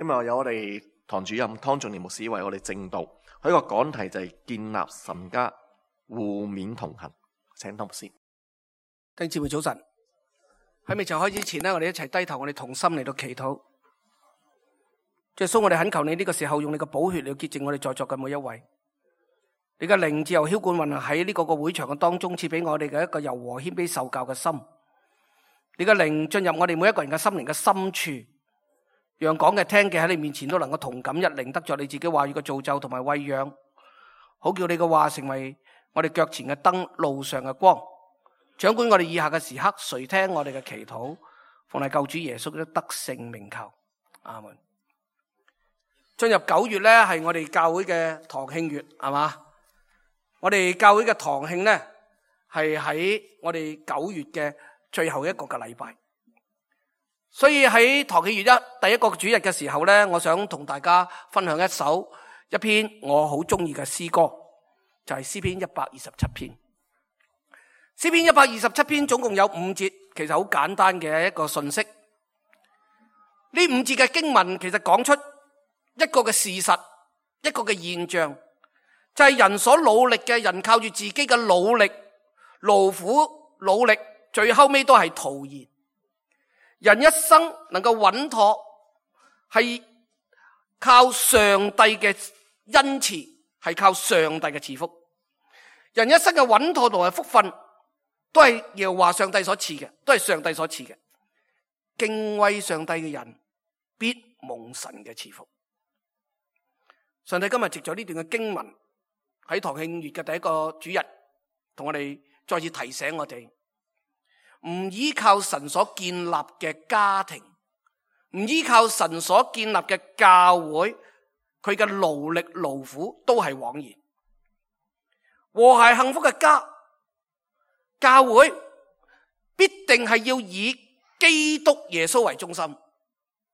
今日有我哋堂主任湯仲年牧師為我哋證道，佢個講題就係建立神家，互勉同行。請湯牧師。弟兄姊妹早晨，喺未就開始前呢，我哋一齊低頭，我哋同心嚟到祈禱。耶穌，我哋懇求你呢個時候用你嘅寶血嚟潔淨我哋在座嘅每一位。你嘅靈自由澆灌運行喺呢個會場嘅當中，賜俾我哋嘅一個柔和謙卑受教嘅心。你嘅靈進入我哋每一個人嘅心靈嘅深處，讓講嘅聽嘅喺你面前都能夠同感一靈，得着你自己話語嘅造就同埋餵養，好叫你嘅話成為我哋腳前嘅燈，路上嘅光。掌管我哋以下嘅時刻，垂聽我哋嘅祈禱，奉係救主耶穌的得勝名求，阿門。進入9月咧，係我哋教會嘅堂慶月，係嘛？我哋教會嘅堂慶咧，係喺我哋9月嘅最後一個嘅禮拜。所以喺堂慶月第一個主日嘅時候咧，我想同大家分享一篇我好中意嘅詩歌，就係詩篇127篇。詩篇127篇總共有5節，其實好簡單嘅一個信息。呢5節嘅經文其實講出一個嘅事實，一個嘅現象，就係人所努力嘅，人靠住自己嘅努力、勞苦、努力，最後尾都係徒然。人一生能夠穩妥，係靠上帝嘅恩慈，係靠上帝嘅賜福。人一生嘅穩妥同埋福分，都係耶和華上帝所賜嘅，都係上帝所賜嘅。敬畏上帝嘅人，必蒙神嘅賜福。上帝今日藉咗呢段嘅經文，喺堂慶月嘅第一個主日，同我哋再次提醒我哋，唔依靠神所建立嘅家庭，唔依靠神所建立嘅教會，佢嘅勞力勞苦都係枉然。和諧幸福嘅家，教會必定係要以基督耶穌為中心，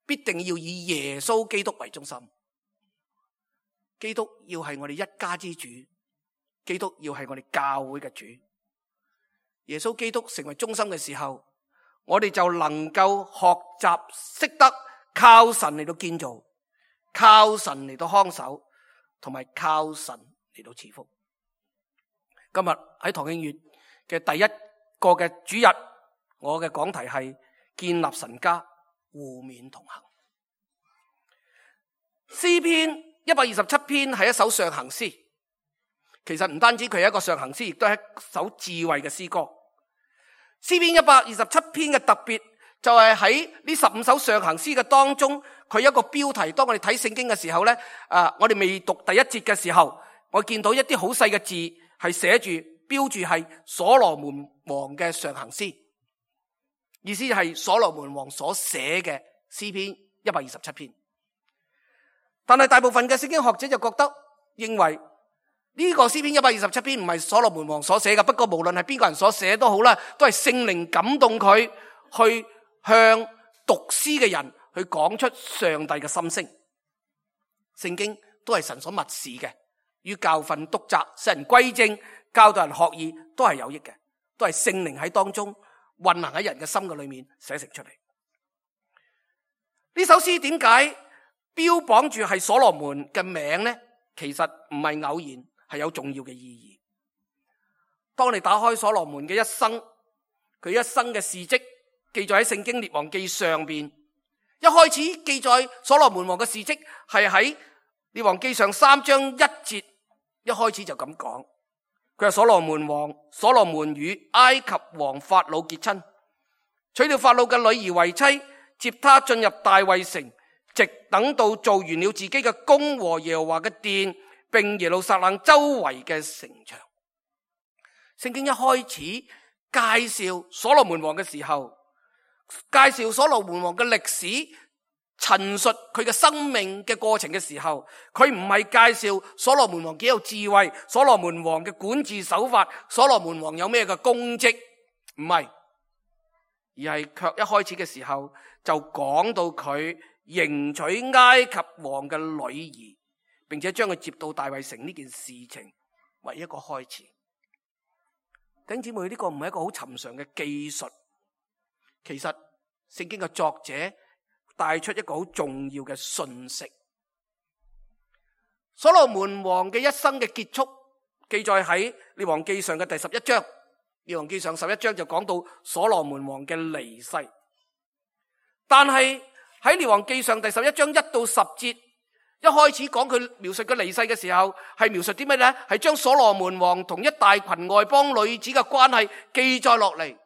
必定要以耶穌基督為中心。基督要係我哋一家之主，基督要係我哋教會嘅主。耶穌基督成為中心嘅時候，我哋就能夠學習識得靠神嚟到建造，靠神嚟到看守，同埋靠神嚟到賜福。今日喺堂慶月嘅第一個嘅主日，我嘅講題係建立神家，互勉同行。詩篇127篇係一首上行詩，其實唔單止佢係一個上行詩，亦都係一首智慧嘅詩歌。詩篇127篇嘅特別就係喺呢15首上行詩嘅當中，佢一個標題。當我哋睇聖經嘅時候咧，我哋未讀第1節嘅時候，我見到一啲好細嘅字係寫住標住係所羅門王嘅上行詩，意思係所羅門王所寫嘅詩篇127篇。但係大部分嘅聖經學者就覺得認為呢個詩篇127篇唔係所羅門王所寫嘅，不過無論係邊個人所寫都好啦，都係聖靈感動佢去向讀詩嘅人去講出上帝嘅心聲。聖經都係神所默示嘅，於教訓、督責、使人歸正、教導人學義都係有益嘅，都係聖靈喺當中運行喺人嘅心嘅裏面寫成出嚟。呢首詩點解標榜住係所羅門嘅名呢？其實唔係偶然，係有重要嘅意義。當你打開所羅門嘅一生，佢一生嘅事蹟記載喺聖經列王記上邊。一開始記載所羅門王嘅事蹟係喺列王記上3章1節，一開始就咁講。佢係所羅門與埃及王法老結親，娶了法老嘅女兒為妻，接他進入大衛城，直等到做完了自己嘅宮和耶和華嘅殿，並耶路撒冷周圍嘅城牆。聖經一開始介紹所羅門王嘅時候，介紹所羅門王嘅歷史，陳述佢嘅生命嘅過程嘅時候，佢唔係介紹所羅門王幾有智慧，所羅門王嘅管治手法，所羅門王有咩嘅功績，唔係，而係卻一開始嘅時候就講到佢迎娶埃及王嘅女兒，並且將佢接到大衛城呢件事情為一個開始。弟兄姊妹，呢個唔係一個好尋常嘅技術，其實聖經嘅作者帶出一個好重要嘅訊息。所羅門王嘅一生嘅結束記載喺列王記上嘅第11章。列王記上11章就講到所羅門王嘅離世，但係喺列王記上第11章1到10節，一開始講佢描述佢離世嘅時候，係描述啲咩呢？係將所羅門王同一大群外邦女子嘅關係記載落嚟。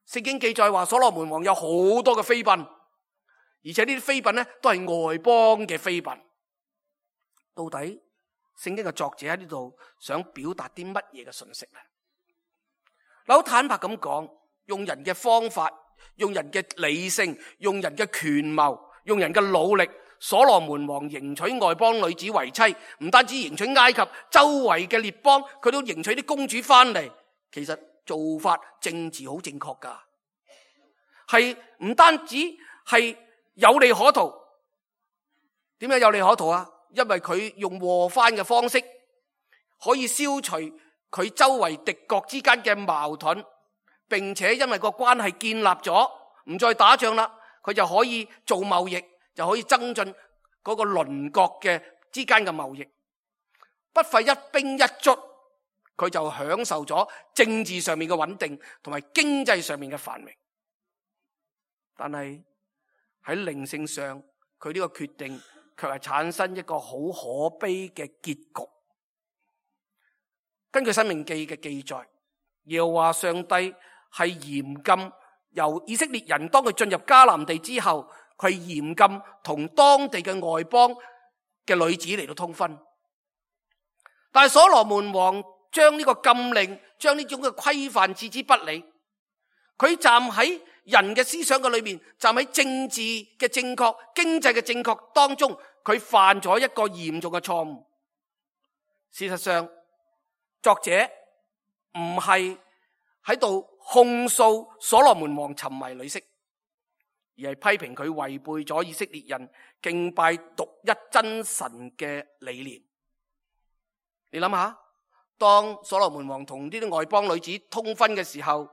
聖經記載話所羅門王有好多嘅妃嬪，而且呢啲妃嬪呢都係外邦嘅妃嬪。到底聖經嘅作者喺呢度想表達啲乜嘢嘅信息呢？好坦白咁講，用人嘅方法，用人嘅理性，用人嘅權謀，用人嘅努力，所羅門王迎娶外邦女子為妻，唔單止迎娶埃及周圍嘅列邦，佢都迎娶啲公主翻嚟。其實做法政治好正確噶，係唔單止係有利可圖。點解有利可圖啊？因為佢用和番嘅方式，可以消除佢周圍敵國之間嘅矛盾，並且因為個關係建立咗，唔再打仗啦，佢就可以做貿易，就可以增進嗰個鄰國嘅之間嘅貿易。不費一兵一卒，佢就享受咗政治上面嘅穩定同埋經濟上面嘅繁榮。但係喺靈性上，佢呢個決定卻係產生一個好可悲嘅結局。根據申命記嘅記載，耶和華上帝係嚴禁由以色列人當佢進入迦南地之後，佢嚴禁同當地嘅外邦嘅女子嚟到通婚。但係所羅門王將呢個禁令，將呢種嘅規範置之不理。佢站喺人嘅思想嘅裏面，站喺政治嘅正確、經濟嘅正確當中，佢犯咗一個嚴重嘅錯誤。事實上，作者唔係喺度控訴所羅門王沉迷女色，而係批評佢違背咗以色列人敬拜獨一真神嘅理念。你諗下，當所羅門王同呢啲外邦女子通婚嘅時候，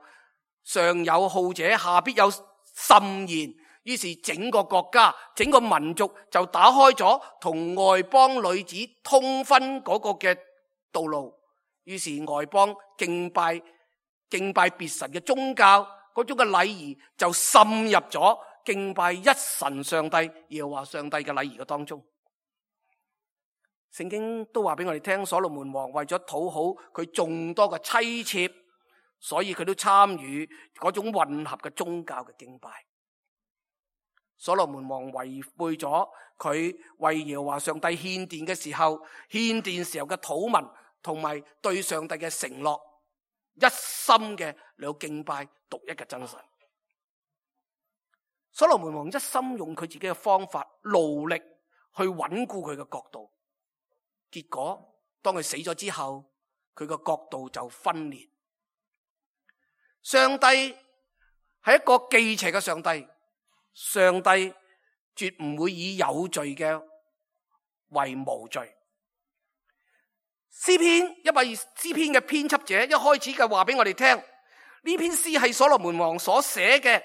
上有好者，下必有甚言。於是整個國家、整個民族就打開咗同外邦女子通婚嗰個嘅道路。於是外邦敬拜別神嘅宗教嗰種嘅禮儀就滲入咗敬拜一神上帝耶和華上帝嘅禮儀嘅當中。聖經都話俾我哋聽，所羅門王為咗討好佢眾多嘅妻妾，所以佢都參與嗰種混合嘅宗教嘅敬拜。所羅門王違背咗佢為耶和華上帝獻殿嘅時候，獻殿時候嘅禱文同埋對上帝嘅承諾，一心嘅嚟到敬拜獨一嘅真神。所羅門王一心用佢自己嘅方法勞力去穩固佢嘅國度，結果當佢死咗之後，佢個國度就分裂。上帝係一個忌邪嘅上帝，上帝絕唔會以有罪嘅為無罪。詩篇嘅編輯者一開始嘅話俾我哋聽，呢篇詩係所羅門王所寫嘅。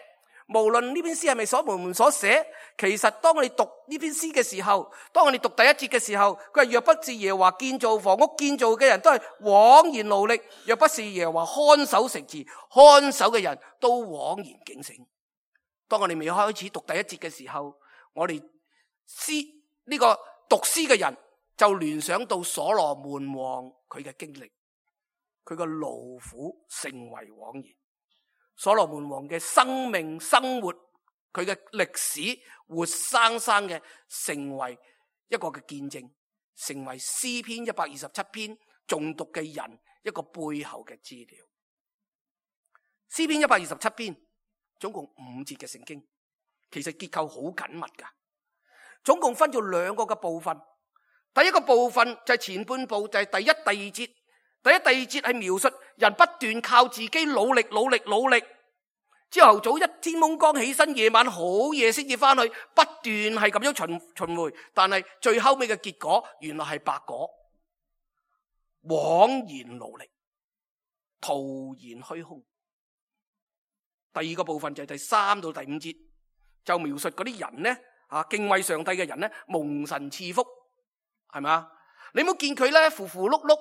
無論呢篇詩係咪所羅門所寫，其實當我哋讀呢篇詩嘅時候，當我哋讀第一節嘅時候，佢係若不是耶和華建造房屋，建造嘅人都係枉然勞力；若不是耶和華看守城池，看守嘅人都枉然警醒。當我哋未開始讀第一節嘅時候，我哋呢個讀詩嘅人就聯想到所羅門王佢嘅經歷，佢嘅勞苦成為枉然。所羅門王嘅生命生活，佢嘅歷史活生生嘅成為一個嘅見證，成為詩篇127篇誦讀嘅人一個背後嘅資料。詩篇127篇總共5節嘅聖經，其實結構好緊密噶，總共分咗2個嘅部分。第一個部分就係前半部，就係第一、第二節。第一、第二節係描述人不斷靠自己努力，朝頭早一天蒙光起身，夜晚好夜先至翻去，不斷係咁樣循環，但係最後尾嘅結果原來係白果，枉然勞力，徒然虛空。第二個部分就係第3到第5節，就描述嗰啲人呢敬畏上帝嘅人咧，蒙神賜福，係咪啊？你冇見佢咧，糊糊碌碌、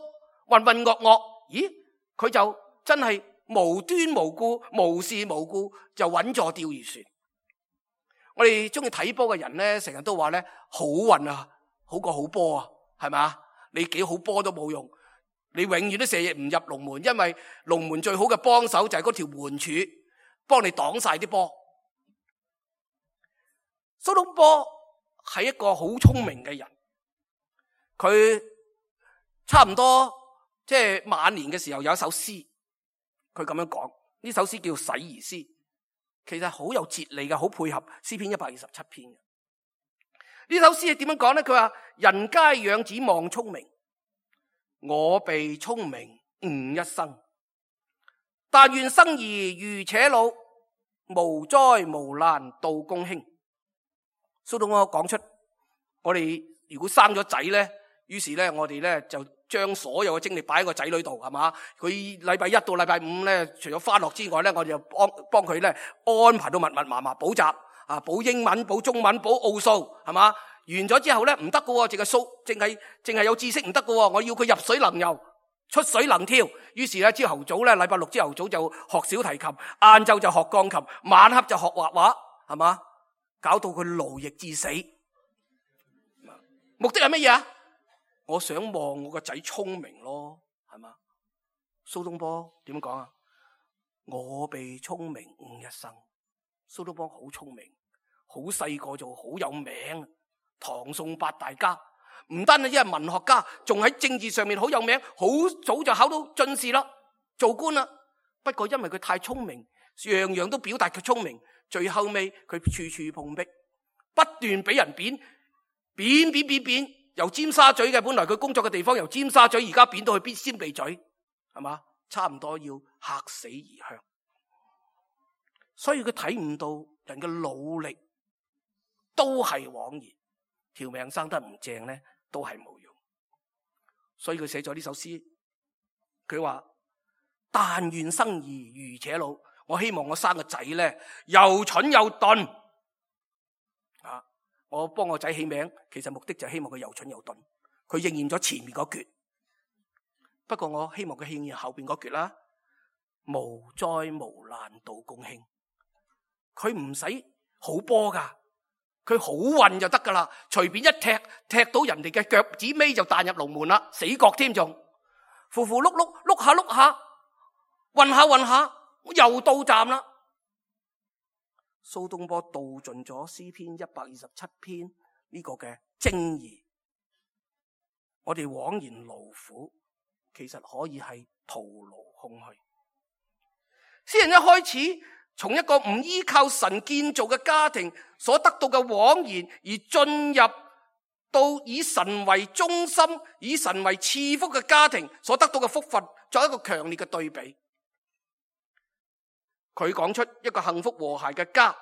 渾渾噩噩，咦？佢就真係無端無故、無事無故就穩坐釣魚船。我哋中意睇波嘅人咧，成日都話咧，好運啊，好過好波啊，係咪啊？你幾好波都冇用，你永遠都射唔入龍門，因為龍門最好嘅幫手就係嗰條門柱，幫你擋晒啲波。蘇東坡係一個好聰明嘅人，佢差唔多即係晚年嘅時候有一首詩，佢咁樣講，呢首詩叫《洗兒詩》，其實好有哲理嘅，好配合詩篇127篇。呢首詩係點樣講咧？佢話：人皆養子望聰明，我被聰明誤一生。但願生兒愚且老，無災無難到公卿。蘇東坡講出，我哋如果生咗仔咧，於是咧我哋咧就將所有嘅精力擺喺個仔女度，係嘛？佢禮拜一到禮拜五咧，除咗返學之外咧，我哋就幫佢咧安排到密密麻麻補習啊，補英文、補中文、補奧數，係嘛？完咗之後咧唔得㗎，淨係有知識唔得㗎，我要佢入水能游、出水能跳。於是咧朝頭早咧，禮拜六朝頭早就學小提琴，晏晝就學鋼琴，晚黑就學畫畫，係嘛？搞到佢勞役致死，目的係乜嘢啊？我想望我個仔聰明咯，係嘛？蘇東坡點講啊？我被聰明誤一生。蘇東坡好聰明，好細個就好有名，唐宋八大家，唔單係因為文學家，仲喺政治上面好有名，好早就考到進士啦，做官啦。不過因為佢太聰明，樣樣都表達佢聰明。最後尾佢處處碰壁，不斷俾人貶，由尖沙咀嘅，本來佢工作嘅地方由尖沙咀而家貶到去尖鼻咀，係嘛？差唔多要嚇死異鄉。所以佢睇唔到人嘅努力都係枉然，條命生得唔正咧都係冇用。所以佢寫咗呢首詩，佢話：但願生兒愚且老。我希望我生個仔咧，又蠢又鈍。我幫我仔起名，其實目的就係希望佢又蠢又鈍。佢應驗咗前面嗰橛，不過我希望佢應驗後邊嗰橛啦。無災無難到公卿，佢唔使好波噶，佢好運就得噶啦。隨便一踢到人哋嘅腳趾尾就彈入龍門啦，死角添仲，糊糊碌碌碌下碌下，運下。又到站啦！蘇東坡道盡咗詩篇127篇呢個嘅精義，我哋枉然勞苦，其實可以係徒勞空虛。詩人一開始從一個唔依靠神建造嘅家庭所得到嘅枉然，而進入到以神為中心、以神為賜福嘅家庭所得到嘅福分，作一個強烈嘅對比。佢講出一個幸福和諧嘅家，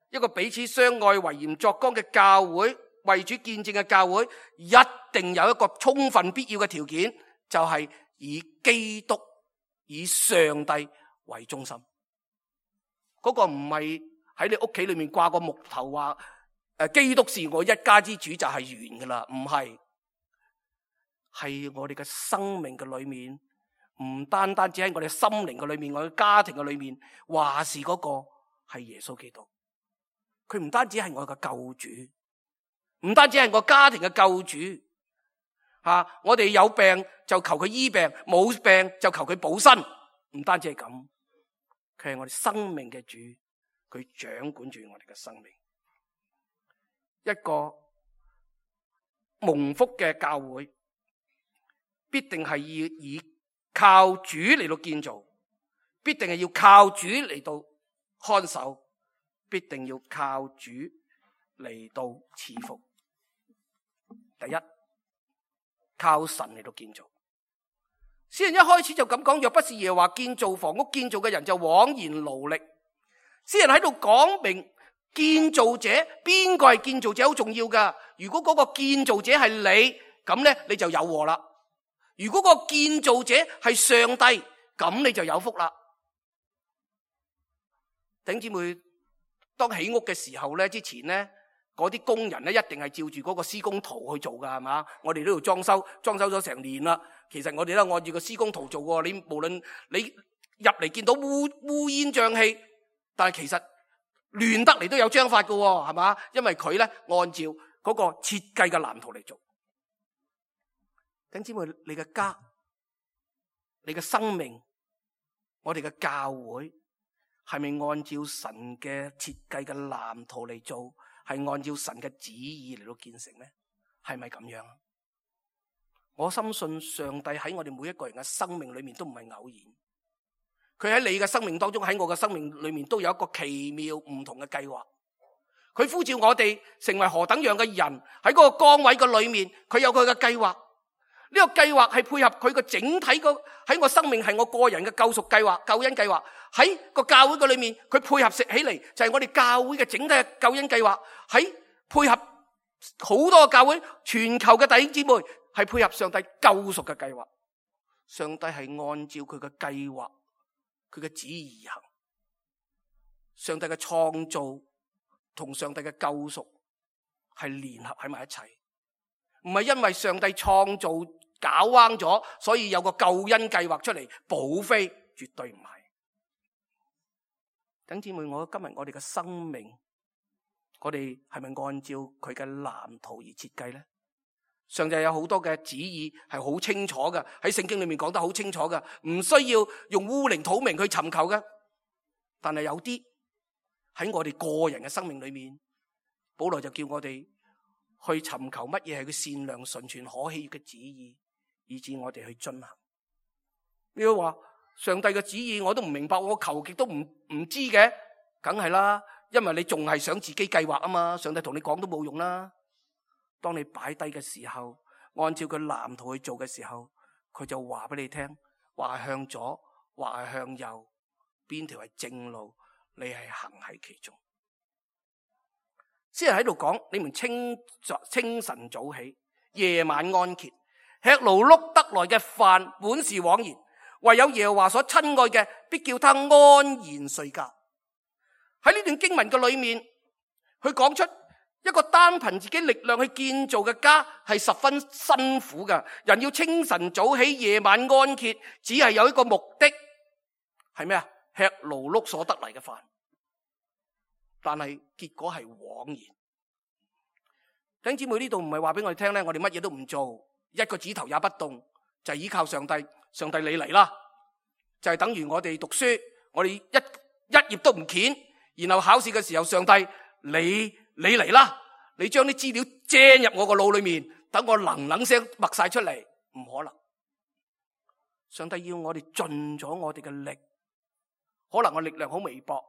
一個彼此相愛、為鹽作光嘅教會，為主見證嘅教會，一定有一個充分必要嘅條件，就係以基督、以上帝為中心。嗰個唔係喺你屋企裏面掛個木頭話基督是我一家之主就係完噶啦，唔係，係我哋嘅生命嘅裏面。唔單單只喺我哋心靈嘅裏面，我哋家庭嘅裏面，話是嗰個係耶穌基督。佢唔單止係我嘅救主，唔單止係我家庭嘅救主。我哋有病就求佢醫病，冇病就求佢補身。唔單止係咁，佢係我哋生命嘅主，佢掌管住我哋嘅生命。一個蒙福嘅教會，必定係要以靠主嚟到建造，必定係要靠主嚟到看守，必定要靠主嚟到賜福。第一，靠神嚟到建造。詩人一開始就咁講：若不是耶和華建造房屋，建造嘅人就枉然勞力。詩人喺度講明建造者，邊個係建造者好重要噶。如果嗰個建造者係你，咁咧你就有禍啦。如果個建造者係上帝，咁你就有福啦。弟兄姊妹，當起屋嘅時候咧，之前咧嗰啲工人咧一定係照住嗰個施工圖去做噶，係嘛？我哋呢度裝修咗成年啦，其實我哋都按照個施工圖做過。你無論你入嚟見到烏煙瘴氣，但係其實亂得嚟都有章法噶，係嘛？因為佢咧按照嗰個設計嘅藍圖嚟做。弟兄姊妹，你嘅家、你嘅生命、我哋嘅教會，係咪按照神嘅設計嘅藍圖嚟做？係按照神嘅旨意嚟到建成呢？係咪咁樣？我深信上帝喺我哋每一個人嘅生命裏面都唔係偶然，佢喺你嘅生命當中，喺我嘅生命裏面都有一個奇妙唔同嘅計劃。佢呼召我哋成為何等樣嘅人，喺嗰個崗位嘅裏面，佢有佢嘅計劃。呢個計劃係配合佢個整體喺我生命係我個人嘅救贖計劃、救恩計劃。喺個教會嘅裏面，佢配合食起嚟就係我哋教會嘅整體嘅救恩計劃。喺配合好多個教會，全球嘅弟兄姊妹係配合上帝救贖嘅計劃。上帝係按照佢嘅計劃、佢嘅旨意而行。上帝嘅創造同上帝嘅救贖係聯合喺埋一齊，唔係因為上帝創造搞彎咗，所以有個救恩計劃出嚟補飛，絕對唔係。弟兄姊妹，今日我哋嘅生命，我哋係咪按照佢嘅藍圖而設計呢？上帝有好多嘅旨意係好清楚嘅，喺聖經裏面講得好清楚嘅，唔需要用烏靈土明去尋求嘅。但係有啲喺我哋個人嘅生命裏面，保羅就叫我哋去尋求乜嘢係佢善良、純全、可喜悅嘅旨意，以致我哋去進行。你要話上帝嘅旨意我都唔明白，我求極都唔知嘅，梗係啦，因為你仲係想自己計劃啊嘛，上帝同你講都冇用啦。當你擺低嘅時候，按照佢藍圖去做嘅時候，佢就話俾你聽，話係向左，話係向右，邊條係正路，你係行喺其中。詩人喺度講，你們清晨早起，夜晚安歇，吃勞碌得來嘅飯本是枉然，唯有耶和華所親愛嘅，必叫他安然睡覺。喺呢段經文嘅裏面，佢講出一個單憑自己力量去建造嘅家係十分辛苦嘅。人要清晨早起，夜晚安歇，只係有一個目的，係咩啊？吃勞碌所得嚟嘅飯，但係結果係枉然。弟兄姊妹，呢度唔係話俾我哋聽咧，我哋乜嘢都唔做，一個指頭也不動，就係依靠上帝。上帝你嚟啦，就係等於我哋讀書，我哋一頁都唔掀，然後考試嘅時候，上帝你嚟啦，你將啲資料掟入我個腦裏面，等我能聲默晒出嚟，唔可能。上帝要我哋盡咗我哋嘅力，可能我力量好微薄，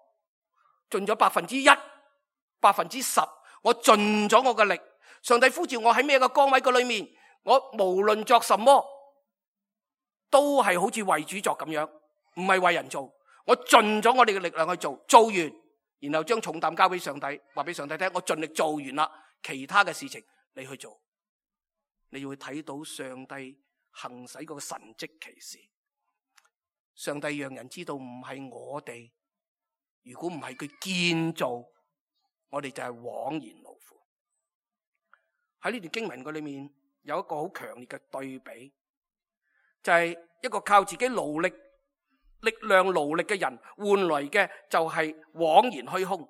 盡咗1%、10%，我盡咗我嘅力。上帝呼召我喺咩個崗位嘅裏面，我無論作什麼，都係好似為主作咁樣，唔係為人做。我盡咗我哋嘅力量去做，做完，然後將重擔交俾上帝，話俾上帝聽，我盡力做完啦，其他嘅事情你去做。你會睇到上帝行使嗰個神蹟奇事。上帝讓人知道唔係我哋，如果唔係佢建造，我哋就係枉然勞苦。喺呢段經文嘅裏面有一個好強烈嘅對比，就係一個靠自己勞力量勞力嘅人換嚟嘅就係枉然虛空。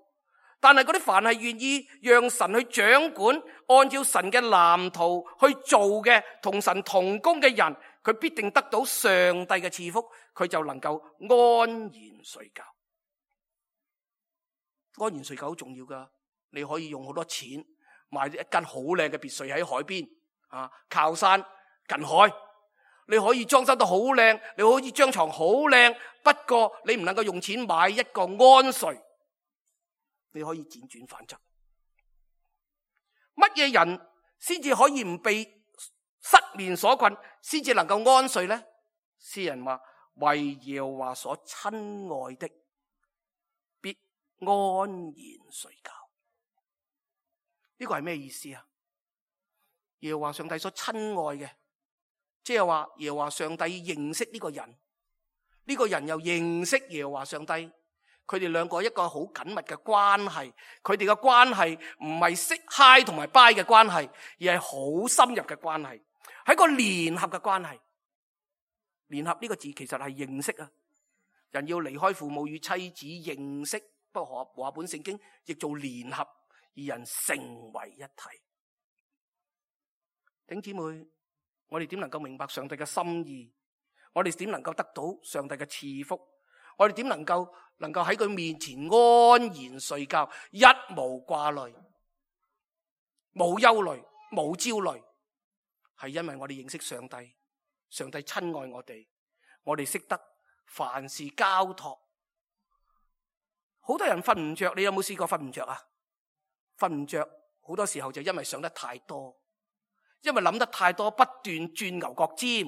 但係嗰啲凡係願意讓神去掌管，按照神嘅藍圖去做嘅，同神同工嘅人，佢必定得到上帝嘅賜福，佢就能夠安然睡覺。安然睡覺好重要噶，你可以用好多錢買一間好靚嘅別墅喺海邊啊，靠山近海，你可以裝修得好靚，你可以張床好靚，不過你唔能夠用錢買一個安睡。你可以輾轉反側。乜嘢人先至可以唔被失眠所困，先至能夠安睡呢？詩人話：為耶和華所親愛的，必安然睡覺。呢個係咩意思啊？耶和華上帝所親愛嘅，即係話耶和華上帝認識呢個人，呢個人又認識耶和華上帝。佢哋兩個一個好緊密嘅關係，佢哋嘅關係唔係識嗨同埋拜嘅關係，而係好深入嘅關係，係一個聯合嘅關係。聯合呢個字其實係認識啊，人要離開父母與妻子認識，不過和合本聖經亦做聯合，二人成為一體。弟兄姊妹，我哋點能夠明白上帝嘅心意？我哋點能夠得到上帝嘅賜福？我哋點能夠喺佢面前安然睡覺，一無掛慮，冇憂慮，冇焦慮？係因為我哋認識上帝，上帝親愛我哋識得凡事交託。好多人瞓唔着，你有冇試過瞓唔着啊？瞓唔着好多時候就因為想得太多，因為諗得太多，不斷轉牛角尖，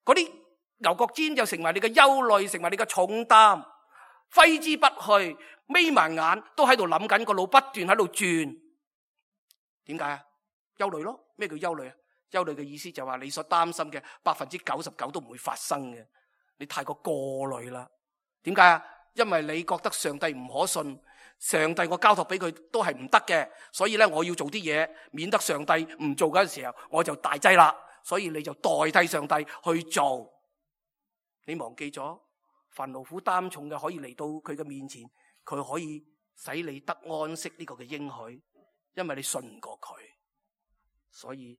嗰啲牛角尖就成為你嘅憂慮，成為你嘅重擔，揮之不去，眯埋眼都喺度諗緊，個腦不斷喺度轉。點解啊？憂慮咯。咩叫憂慮啊？憂慮嘅意思就話你所擔心嘅99%都唔會發生嘅，你太過慮啦。點解啊？因為你覺得上帝唔可信，上帝我交託俾佢都係唔得嘅，所以咧我要做啲嘢，免得上帝唔做嗰陣時候我就大劑啦。所以你就代替上帝去做。你忘記咗凡勞苦擔重嘅可以嚟到佢嘅面前，佢可以使你得安息呢個嘅應許，因為你信唔過佢，所以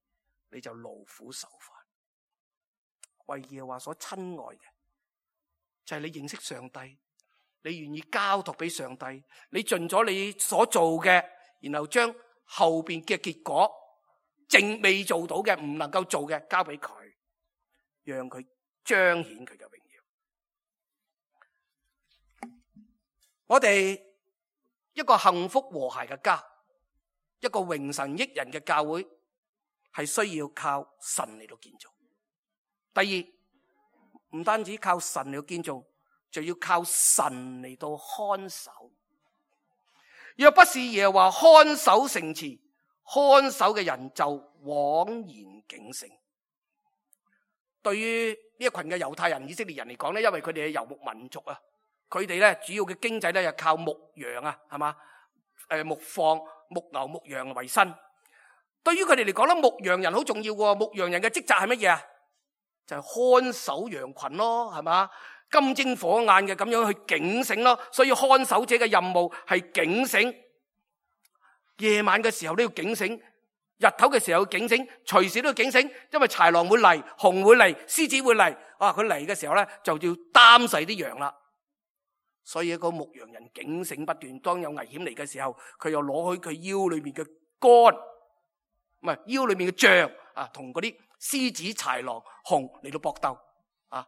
你就勞苦受煩。為耶和華所親愛嘅就係你認識上帝，你願意交託俾上帝，你盡咗你所做嘅，然後將後邊嘅結果正未做到嘅唔能夠做嘅交俾佢，讓佢彰顯佢嘅榮耀。我哋一個幸福和諧嘅家，一個榮神益人嘅教會，係需要靠神嚟到建造。第二，唔單止靠神嚟到建造，就要靠神嚟到看守。若不是耶和華看守城池，看守嘅人就枉然警醒。對於呢一群嘅猶太人、以色列人嚟講咧，因為佢哋係游牧民族啊，佢哋咧主要嘅經濟咧就靠牧羊啊，係嘛？牧放、牧牛、牧羊為生。對於佢哋嚟講咧，牧羊人好重要喎。牧羊人嘅職責係乜嘢啊？就係看守羊群咯，係嘛？金睛火眼嘅咁樣去警醒咯。所以看守者嘅任務係警醒，夜晚嘅時候都要警醒，日頭嘅時候要警醒，隨時都要警醒，因為豺狼會嚟，熊會嚟，獅子會嚟。佢嚟嘅時候咧就要擔細啲羊啦。所以一個牧羊人警醒不斷，當有危險嚟嘅時候，佢又攞去佢腰裏面嘅竿，唔係腰裏面嘅杖啊，同嗰啲獅子、豺狼、熊嚟到搏鬥啊！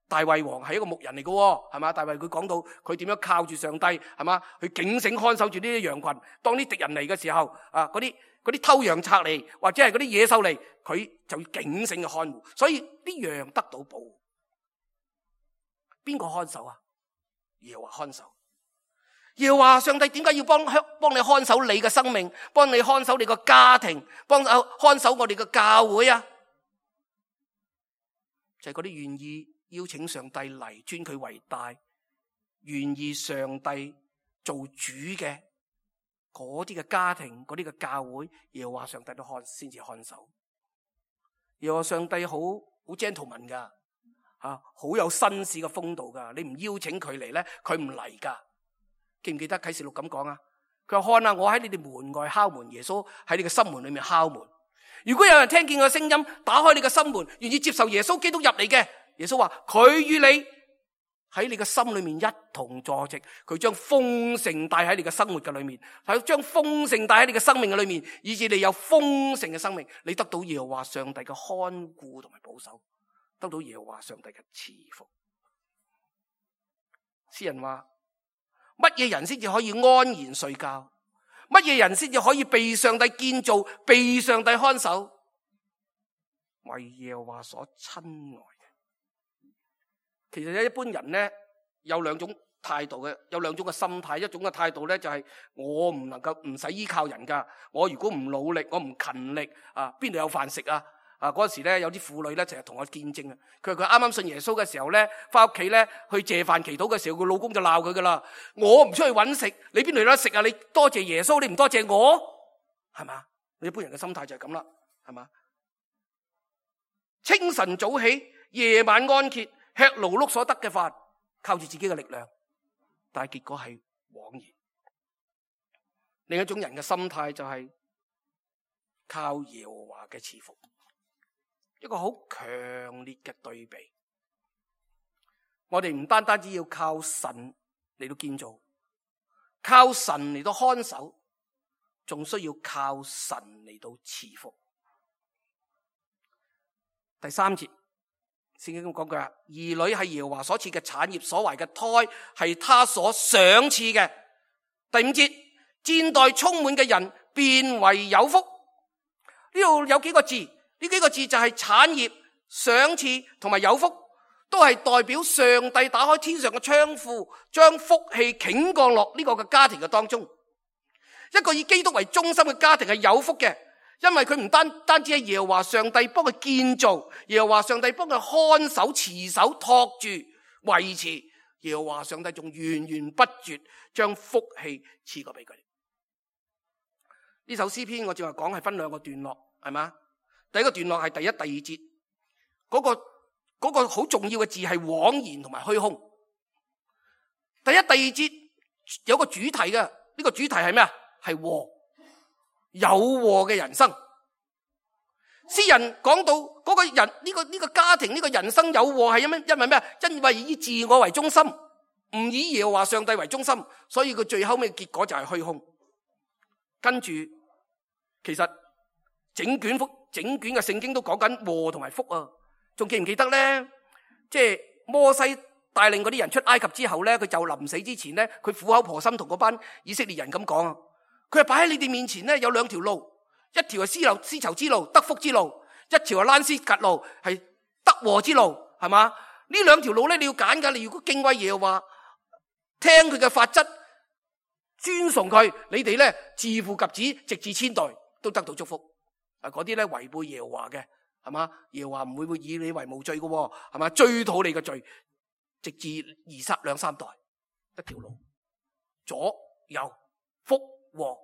大衛王係一個牧人嚟嘅，係嘛？大衛佢講到佢點樣靠住上帝，係嘛？去警醒看守住呢啲羊群，當啲敵人嚟嘅時候啊，嗰啲偷羊賊嚟，或者係嗰啲野獸嚟，佢就要警醒嘅看護，所以啲羊得到保護。邊個看守啊？耶和華看守。耶和華上帝點解要幫你看守你嘅生命，幫你看守你個家庭，看守我哋嘅教會啊？就係嗰啲願意邀請上帝嚟尊佢為大，願意上帝做主嘅嗰啲嘅家庭，嗰啲嘅教會，耶和華上帝都先至看守。耶和華上帝好 gentleman 噶。好有紳士嘅風度噶，你唔邀請佢嚟咧，佢唔嚟噶。記唔記得啟示錄咁講啊？佢話看啊，我喺你哋門外敲門，耶穌喺你嘅心門裏面敲門。如果有人聽見個聲音，打開你嘅心門，願意接受耶穌基督入嚟嘅，耶穌話佢與你喺你嘅心裏面一同坐席，佢將豐盛帶喺你嘅生活嘅裏面，係將豐盛帶喺你嘅生命嘅裏面，以致你有豐盛嘅生命，你得到耶和華上帝嘅看顧同埋保守。得到耶和華上帝嘅賜福。詩人話：乜嘢人先至可以安然睡覺？乜嘢人先至可以被上帝建造、被上帝看守？為耶和華所親愛嘅。其實一般人咧有兩種態度嘅，有兩種嘅心態。一種嘅態度咧就係我唔能夠唔使依靠人噶，我如果唔努力，我唔勤力啊，邊度有飯食啊？嗰時咧有啲婦女咧成日同我見證啊，佢話佢啱啱信耶穌嘅時候咧，翻屋企咧去謝飯祈禱嘅時候，佢老公就鬧佢噶啦。我唔出去揾食，你邊度有得食啊？你多謝耶穌，你唔多謝我，係嘛？一般人嘅心態就係咁啦，係嘛？清晨早起，夜晚安歇，吃勞碌所得嘅飯，靠住自己嘅力量，但係結果係枉然。另一種人嘅心態就係靠耶和華嘅賜福，一個好強烈嘅對比。我哋唔單單只要靠神嚟到建造，靠神嚟到看守，仲需要靠神嚟到賜福。第3節，聖經咁講句啊，兒女係耶和華所賜嘅產業，所懷嘅胎係他所賞賜嘅。第5節，戰袋充滿嘅人變為有福。呢度有幾個字，呢幾個字就係產業、賞賜同埋有福，都係代表上帝打開天上嘅窗戶，將福氣傾降落呢個嘅家庭嘅當中。一個以基督為中心嘅家庭係有福嘅，因為佢唔單止係耶和華上帝幫佢建造，耶和華上帝幫佢看守、持守、托住、維持，耶和華上帝仲源源不絕將福氣賜過俾佢。呢首詩篇我正話講係分2個段落，係嘛？第一個段落係第1、第2節，嗰個好重要嘅字係枉然同埋虛空。第1、第2節有個主題嘅，呢個主題係咩啊？係禍，有禍嘅人生。詩人講到嗰個人呢個家庭呢個人生有禍係因為咩啊？因為以自我為中心，唔以耶和華上帝為中心，所以佢最後尾嘅結果就係虛空。跟住，其實整卷嘅聖經都講緊禍同埋福啊！仲記唔記得咧？即係摩西帶領嗰啲人出埃及之後咧，佢就臨死之前咧，佢苦口婆心同嗰班以色列人咁講啊！佢係擺喺你哋面前咧有2條路，一條係絲綢之路，得福之路；一條係蘭斯格路，係得禍之路，係嘛？呢2條路咧你要揀噶，你如果敬畏耶和華，聽佢嘅法則，尊崇佢，你哋咧自父及子，直至千代都得到祝福。嗰啲咧違背耶和華嘅，係嘛？耶和華唔會以你為無罪嘅，係嘛？追討你嘅罪，直至2、3代，一條路，左右福禍。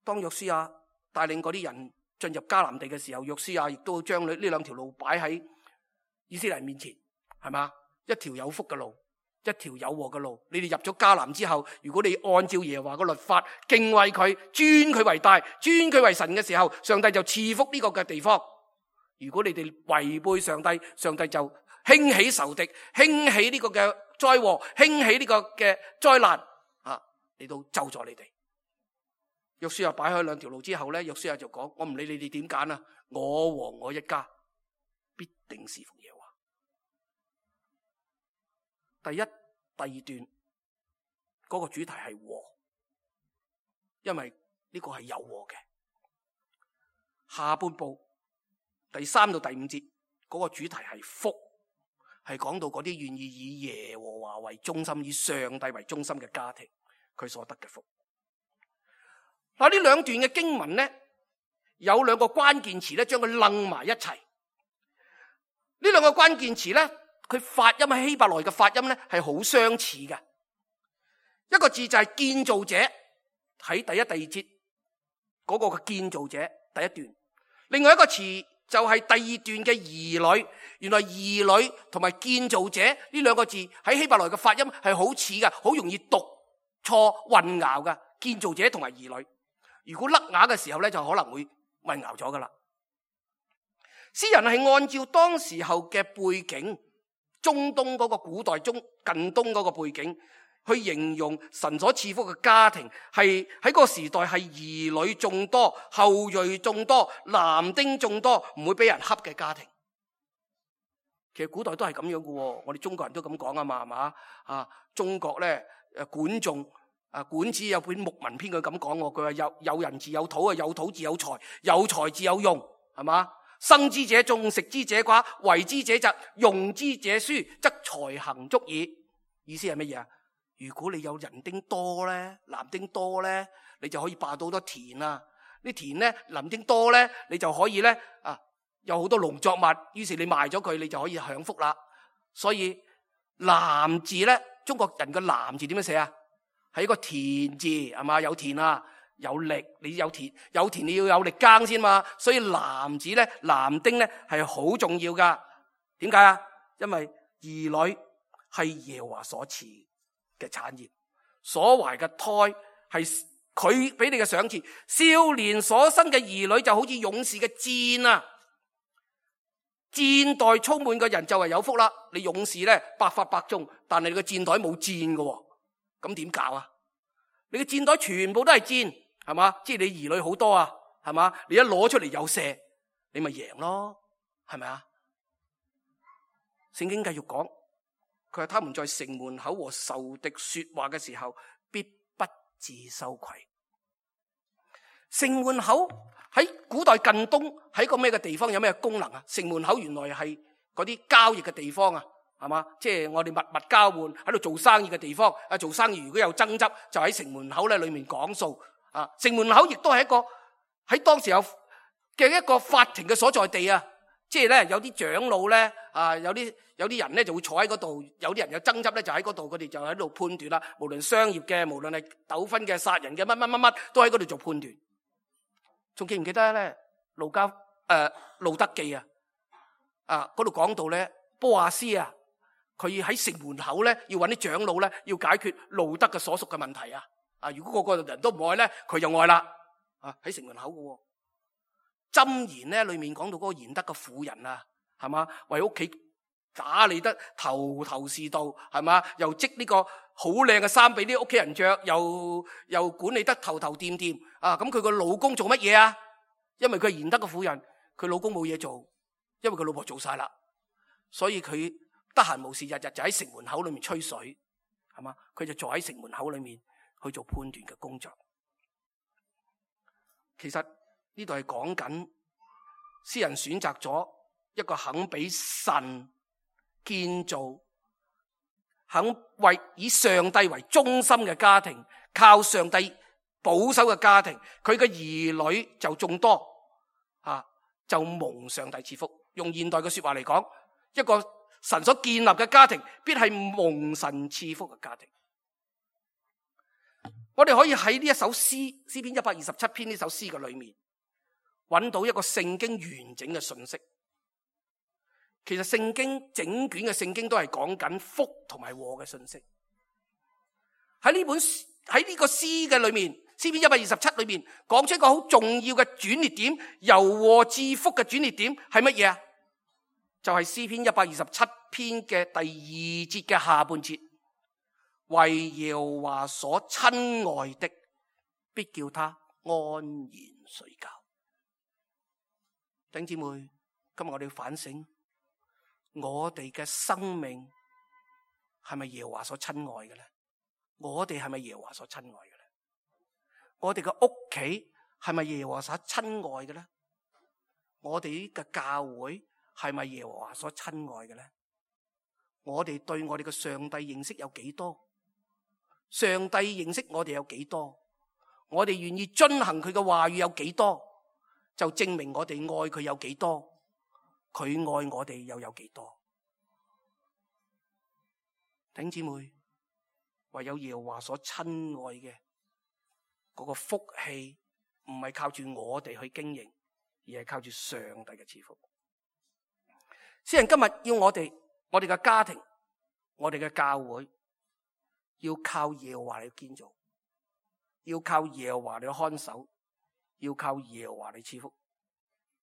當約書亞帶領嗰啲人進入迦南地嘅時候，約書亞亦都將呢2條路擺喺以色列人面前，係嘛？一條有福嘅路，一條有禍嘅路。你哋入咗迦南之後，如果你按照耶和華嘅律法，敬畏佢，尊佢為大，尊佢為神嘅時候，上帝就賜福呢個嘅地方。如果你哋違背上帝，上帝就興起仇敵，興起呢個嘅災禍，興起呢個嘅災難啊，嚟到咒詛你哋。約書亞擺開2條路之後咧，約書亞就講：我唔理你哋點揀啊，我和我一家必定侍奉耶和華。第1、第2段嗰個主題係禍，因為呢個係有禍嘅。下半部第3到第5節嗰個主題係福，係講到嗰啲願意以耶和華為中心，以上帝為中心嘅家庭，佢所得嘅福。嗱，呢2段嘅經文咧，有2個關鍵詞咧，將佢楞埋一齊。呢2個關鍵詞咧，佢發音喺希伯來嘅發音咧係好相似嘅。一個字就係建造者，喺第1、第2節嗰個嘅建造者第1段。另外一個詞就係第2段嘅兒女。原來兒女同埋建造者呢2個字喺希伯來嘅發音係好似嘅，好容易讀錯混淆嘅。建造者同埋兒女，如果甩牙嘅時候咧，就可能會混淆咗噶啦。詩人係按照當時候嘅背景，中東嗰個古代近東嗰個背景，去形容神所賜福嘅家庭，係喺嗰個時代係兒女眾多、後裔眾多、男丁眾多，唔會俾人恰嘅家庭。其實古代都係咁樣嘅，我哋中國人都咁講啊嘛，係嘛？啊，中國咧管仲。管子有本牧民篇，佢咁講，佢話有人自有土，有土自有財，有財自有用，係嘛？生之者眾，食之者寡，為之者疾，用之者疏，則財行足矣。意思係乜嘢啊？如果你有人丁多咧，男丁多咧，你就可以霸到好多田啊，啲田咧林丁多咧，你就可以咧有好多農作物，於是你賣咗佢，你就可以享福啦。所以男字咧，中國人個男字點樣寫啊？係一個田字，係嘛？有田啊，有力，你有田你要有力耕先嘛。所以男字咧，男丁咧係好重要噶。點解啊？因為兒女係耶和華所賜嘅產業，所懷嘅胎係佢俾你嘅賞賜。少年所生嘅兒女就好似勇士嘅箭啊！箭袋充滿嘅人就係有福啦。你勇士咧百發百中，但係你個箭袋冇箭嘅，咁點搞啊？你嘅箭袋全部都係箭，係嘛？即係你兒女好多啊，係嘛？你一攞出嚟有射，你咪贏咯，係咪啊？聖經繼續講，佢話他們在城門口和仇敵說話嘅時候，必不自羞愧。城門口喺古代近東喺個咩嘅地方，有咩功能啊？城門口原來係嗰啲交易嘅地方啊，係嘛？即係我哋物物交換喺度做生意嘅地方。做生意如果有爭執，就喺城門口咧裏面講數啊。城門口亦都係一個喺當時有嘅一個法庭嘅所在地啊。即係咧有啲長老咧有啲人咧就會坐喺嗰度，有啲人有爭執咧就喺嗰度，佢哋就喺度判斷啦。無論商業嘅，無論係糾紛嘅、殺人嘅，乜都喺嗰度做判斷。仲記唔記得咧？路德記啊，嗰度講到咧，波亞斯啊，佢喺城門口咧，要揾啲長老咧，要解決路德嘅所屬嘅問題啊。如果個個人都唔愛咧，佢就愛啦。喺城門口嘅。箴言咧裏面講到嗰個賢德嘅婦人啊，係嘛？為屋企打理得頭頭是道，係嘛？又織呢個好靚嘅衫俾啲屋企人着，又管理得頭頭掂掂啊！咁佢個老公做乜嘢啊？因為佢係賢德嘅婦人，佢老公冇嘢做，因為佢老婆做晒啦，所以佢得閒無事，日日就喺城門口裏面吹水，係嘛？佢就坐喺城門口裏面去做判斷嘅工作。其實呢度係講緊詩人選擇咗一個肯俾神建造，肯以上帝為中心嘅家庭，靠上帝保守嘅家庭，佢嘅兒女就眾多就蒙上帝賜福。用現代嘅說話嚟講，一個神所建立嘅家庭必係蒙神賜福嘅家庭。我哋可以喺呢一首詩篇127篇呢首詩嘅裏面揾到一個聖經完整嘅信息。其實聖經整卷嘅聖經都係講緊福同埋禍嘅信息。喺呢個詩嘅裏面，詩篇127裏面講出一個好重要嘅轉捩點，由禍至福嘅轉捩點係乜嘢啊？就係詩篇127篇嘅第2節嘅下半節，為耶和華所親愛的，必叫他安然睡覺。弟兄姊妹，今日我哋要反省，我哋嘅生命係咪耶和華所親愛嘅咧？我哋係咪耶和華所親愛嘅咧？我哋嘅屋企係咪耶和華所親愛嘅咧？我哋嘅教會係咪耶和華所親愛嘅咧？我哋對我哋嘅上帝認識有幾多？上帝認識我哋有幾多？我哋願意遵行佢嘅話語有幾多？就證明我哋愛佢有幾多，佢愛我哋又有幾多。弟兄姊妹，唯有耶和華所親愛嘅嗰個福氣，唔係靠住我哋去經營，而係靠住上帝嘅賜福。詩人今日要我哋嘅家庭，我哋嘅教會，要靠耶和華嚟建造，要靠耶和華嚟看守，要靠耶和華嚟賜福。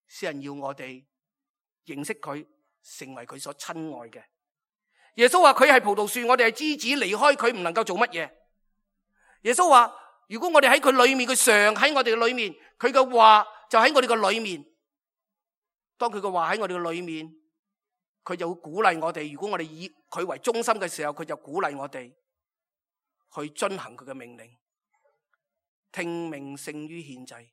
詩人要我哋認識佢，成為佢所親愛嘅。耶穌話佢係葡萄樹，我哋係枝子，離開佢唔能夠做乜嘢。耶穌話如果我哋喺佢裏面，佢常喺我哋嘅裏面，佢嘅話就喺我哋嘅裏面。當佢嘅話喺我哋嘅裏面，佢就會鼓勵我哋。如果我哋以佢為中心嘅時候，佢就鼓勵我哋去遵行佢嘅命令。聽命勝於獻祭，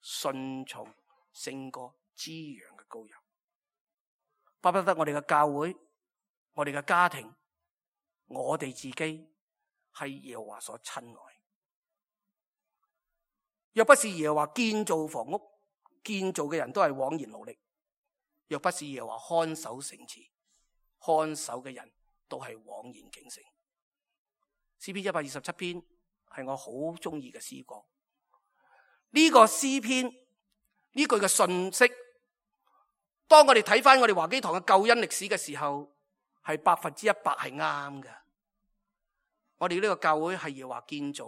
順從勝過滋養嘅羔羊。巴不得我哋嘅教會，我哋嘅家庭，我哋自己係耶和華所親愛。若不是耶和華建造房屋，建造嘅人都係枉然勞力；若不是耶和華看守城池，看守嘅人都係枉然警醒。詩篇127篇係我好中意嘅詩歌。呢個詩篇呢句嘅信息，當我哋睇翻我哋華基堂嘅救恩歷史嘅時候，係100%係啱嘅。我哋呢個教會係耶和華建造，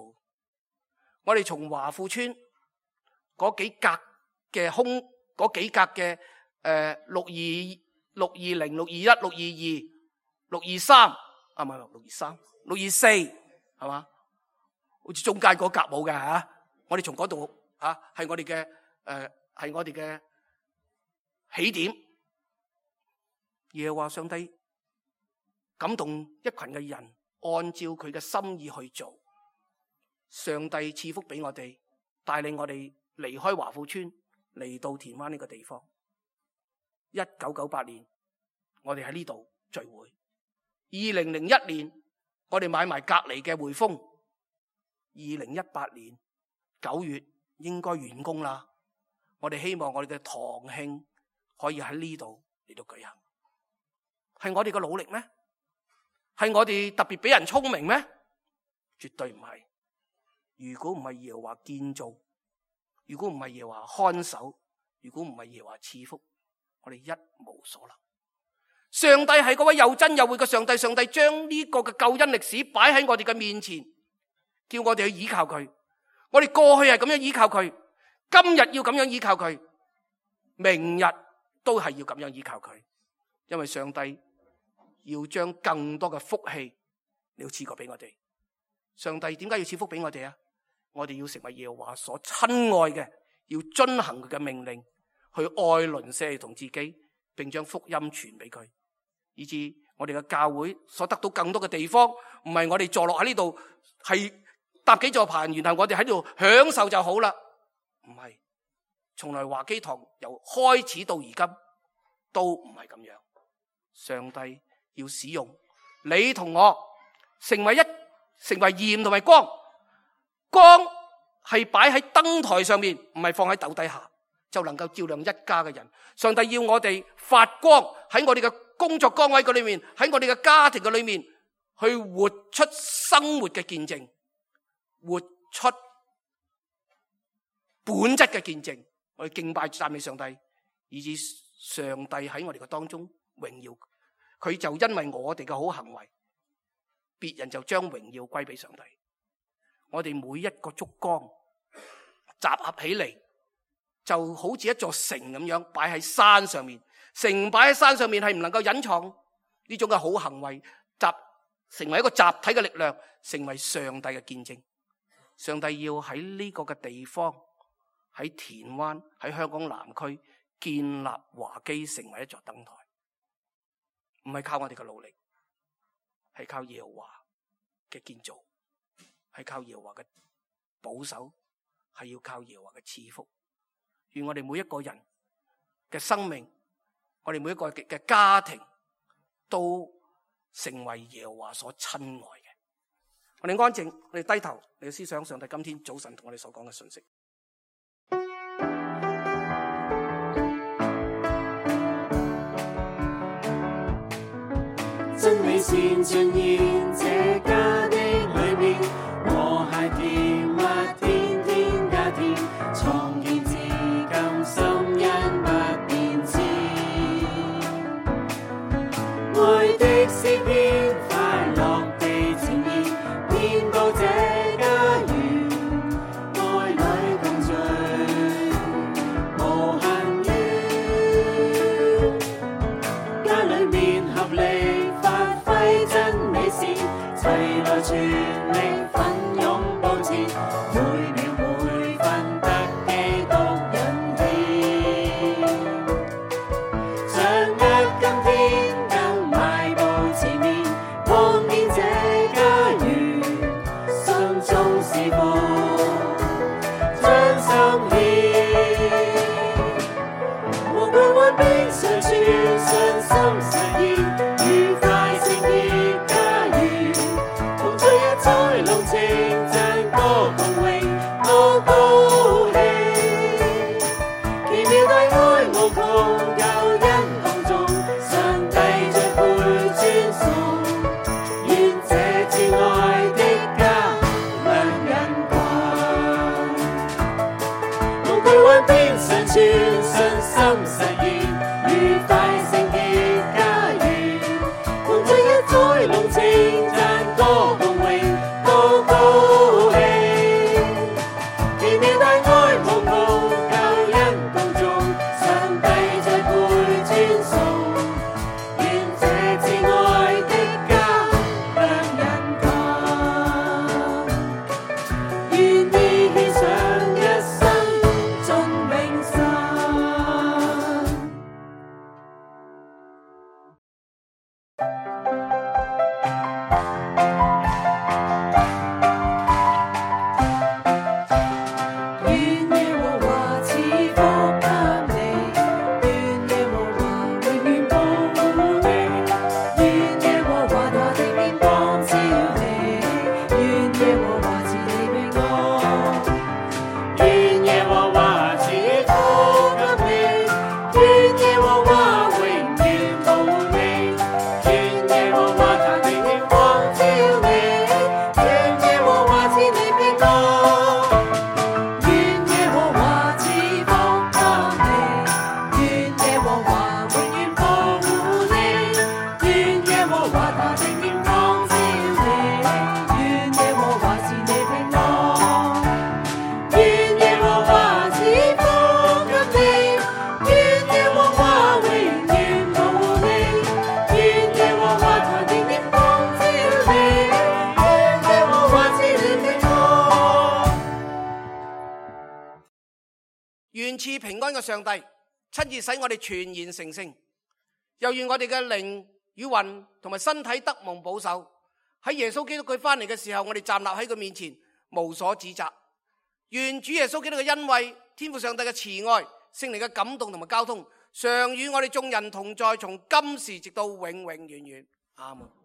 我哋從華富村嗰幾格嘅嗰幾格嘅620、621、622、623啊，唔係623、624係嘛？好似中間嗰格冇嘅吓，我哋從嗰度吓係我哋嘅起點。耶和華上帝感動一群嘅人，按照佢嘅心意去做。上帝賜福俾我哋，帶領我哋離開華富村嚟到田灣呢個地方。1998年我哋喺呢度聚會，2001年我哋買埋隔籬嘅匯豐，2018年9月應該完工啦。我哋希望我哋嘅堂慶可以喺呢度嚟到舉行。係我哋嘅努力咩？係我哋特別俾人聰明咩？絕對唔係。如果唔係耶和華建造，如果唔係耶和華看守，如果唔係耶和華賜福，我哋一無所能。上帝係嗰位又真又活嘅上帝，上帝將呢個嘅救恩歷史擺喺我哋嘅面前，叫我哋去依靠佢。我哋過去係咁樣依靠佢，今日要咁樣依靠佢，明日都係要咁樣依靠佢，因為上帝要將更多嘅福氣你要賜過俾我哋。上帝點解要賜福俾我哋啊？我哋要成為耶和華所親愛嘅，要遵行佢嘅命令，去愛鄰舍同自己，並將福音傳俾佢，以致我哋嘅教會所得到更多嘅地方，唔係我哋坐落喺呢度係搭幾座棚，然後我哋喺度享受就好啦。唔係，從來華基堂由開始到而今都唔係咁樣。上帝要使用你同我成為鹽同埋光。光係擺喺燈台上面，唔係放喺斗底下，就能夠照亮一家嘅人。上帝要我哋發光，喺我哋嘅工作崗位嘅裏面，喺我哋嘅家庭嘅裏面，去活出生活嘅見證，活出本質嘅見證。我哋敬拜讚美上帝，以致上帝喺我哋嘅當中榮耀佢，就因為我哋嘅好行為，別人就將榮耀歸俾上帝。我哋每一個燭光集合起嚟，就好似一座城咁樣擺喺山上面。城擺喺山上面係唔能夠隱藏呢種嘅好行為，成為一個集體嘅力量，成為上帝嘅見證。上帝要喺呢個嘅地方，喺田灣，喺香港南區建立華基，成為一座燈台。唔係靠我哋嘅努力，係靠耶和華嘅建造，係靠耶和華嘅保守，係要靠耶和華嘅賜福。願我哋每一個人嘅生命，我哋每一個嘅家庭，都成為耶和華所親愛嘅。我哋安靜，我哋低頭，你思想上帝今天早晨同我哋所講嘅信息。真美善盡現這家的裏面，和諧甜蜜天天加添，創建至今心因不變遷。愛的詩篇快樂地呈現，遍佈這家園，愛侶共聚，無限於家裏面合力。真美善，齊來全力奮勇步前，每秒每分得基督引牽。掌握今天更邁步前面，望見這家園，心中是福，將心獻，無懼患逼上處，信心實現。龍情讚歌共榮，我高無窮救恩當中，上帝最配尊崇。願這至愛的家亮人群，無懼幻變常存，信心實現，愉快聖潔家園，共聚一載濃情，讚歌共榮，高高興。奇妙大愛無窮救恩當中，上帝最配尊崇。願這至愛的家亮人群，願意獻上一生盡永生。願耶和華賜福給你，願耶和華永遠保護你，願耶和華他的面光照你，願耶和華賜你平安。願耶和華賜福給你，願耶和華永遠保護你，願耶和華他的面光照你，願耶和華賜你平安。願耶和華賜福給你，願耶和華永遠保護你，願耶和華他的面光照你，願耶和華賜你平安。願耶和華賜福給你，願耶和華永遠保護你，願耶和華他的面光照你，願耶和華賜你平安。願賜平安嘅上帝親自使我哋全然成聖，又願我哋嘅靈與魂同埋身體得蒙保守。喺耶穌基督佢翻嚟嘅時候，我哋站立喺佢面前無所指責。願主耶穌基督嘅恩惠、天父上帝嘅慈愛、聖靈嘅感動同埋交通，常與我哋眾人同在，從今時直到永永遠遠。阿門。